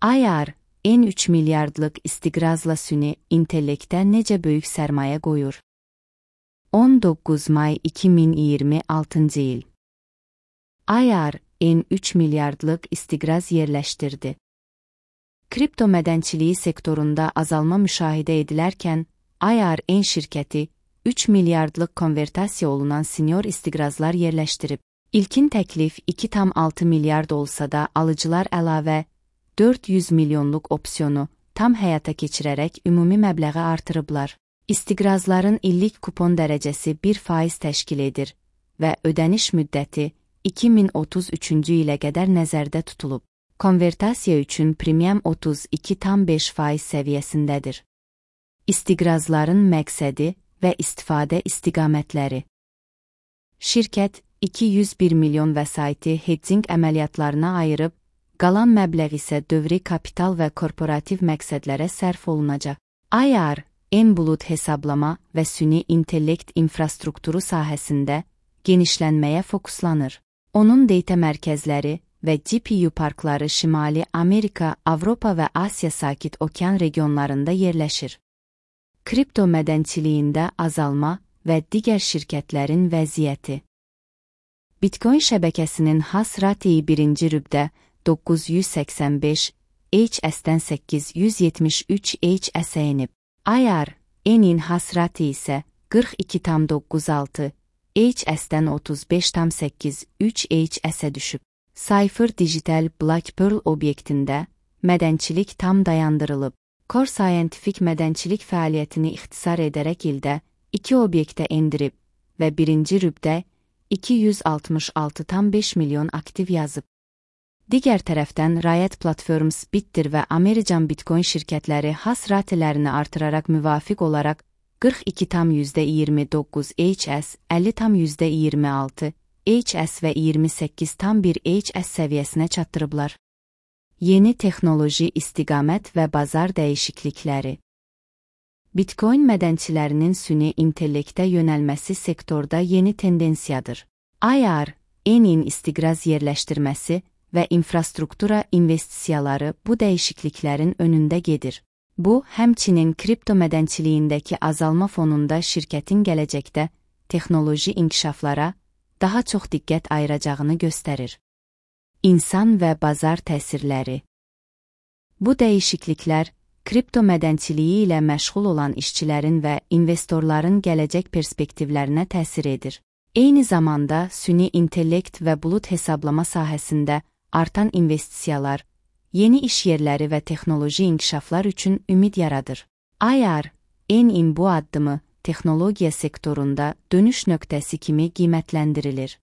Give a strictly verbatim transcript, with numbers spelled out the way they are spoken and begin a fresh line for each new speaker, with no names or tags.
I R, N üç milyardlıq istiqrazla süni intellektə necə böyük sərmayə qoyur? on doqquz may iki min iyirmi altıncı il. I R, N üç milyardlıq istiqraz yerləşdirdi. Kripto mədənçiliyi sektorunda azalma müşahidə edilərkən, I R N şirkəti üç milyardlıq konvertasiya olunan senior istiqrazlar yerləşdirib. İlkin təklif iki tam altı milyard olsa da alıcılar əlavə dörd yüz milyonluq opsiyonu tam həyata keçirərək ümumi məbləği artırıblar. İstiqrazların illik kupon dərəcəsi bir faiz təşkil edir və ödəniş müddəti iki min otuz üçüncü ilə qədər nəzərdə tutulub. Konvertasiya üçün premium otuz iki tam beş faiz səviyyəsindədir. İstiqrazların məqsədi və istifadə istiqamətləri. Şirkət iki yüz bir milyon vəsaiti hedging əməliyyatlarına ayırıb, qalan məbləğ isə dövri kapital və korporativ məqsədlərə sərf olunacaq. I R, N bulut hesablama və süni intellekt infrastrukturu sahəsində genişlənməyə fokuslanır. Onun data mərkəzləri və G P U parkları Şimali Amerika, Avropa və Asiya Sakit Okean regionlarında yerləşir. Kripto mədənçiliyində azalma və digər şirkətlərin vəziyyəti. Bitcoin şəbəkəsinin hash rate birinci rübdə doqquz yüz səksən beş H S-dən səkkiz yüz yetmiş üç H S-ə enib. I R, N-in hash rate isə qırx iki tam doqquz altı H S-dən otuz beş tam səkkiz üç H S-ə düşüb. Cypher Digital Black Pearl obyektində mədənçilik tam dayandırılıb. Core Scientific mədənçilik fəaliyyətini ixtisar edərək ildə iki obyektə endirib və birinci rübdə iki yüz altmış altı tam beş milyon aktiv yazıb. Digər tərəfdən Riot Platforms, Bitter və American Bitcoin şirkətləri hash ratelerini artıraraq müvafiq olaraq qırx iki tam yüzdə iyirmi doqquz H S, əlli tam yüzdə iyirmi altı H S və iyirmi səkkiz tam bir H S səviyyəsinə çatdırıblar. Yeni texnoloji istiqamət və bazar dəyişiklikləri. Bitcoin mədənçilərinin süni intellektə yönəlməsi sektorda yeni tendensiyadır. I R, N-in istiqraz yerləşdirməsi və infrastruktura investisiyaları bu dəyişikliklərin önündə gedir. Bu, həmçinin kripto mədənçiliyindəki azalma fonunda şirkətin gələcəkdə texnoloji inkişaflara daha çox diqqət ayıracağını göstərir. İnsan və bazar təsirləri. Bu dəyişikliklər, kripto mədənçiliyi ilə məşğul olan işçilərin və investorların gələcək perspektivlərinə təsir edir. Eyni zamanda süni intellekt və bulut hesablama sahəsində artan investisiyalar, yeni iş yerləri və texnoloji inkişaflar üçün ümid yaradır. I R, N-in bu addımı texnologiya sektorunda dönüş nöqtəsi kimi qiymətləndirilir.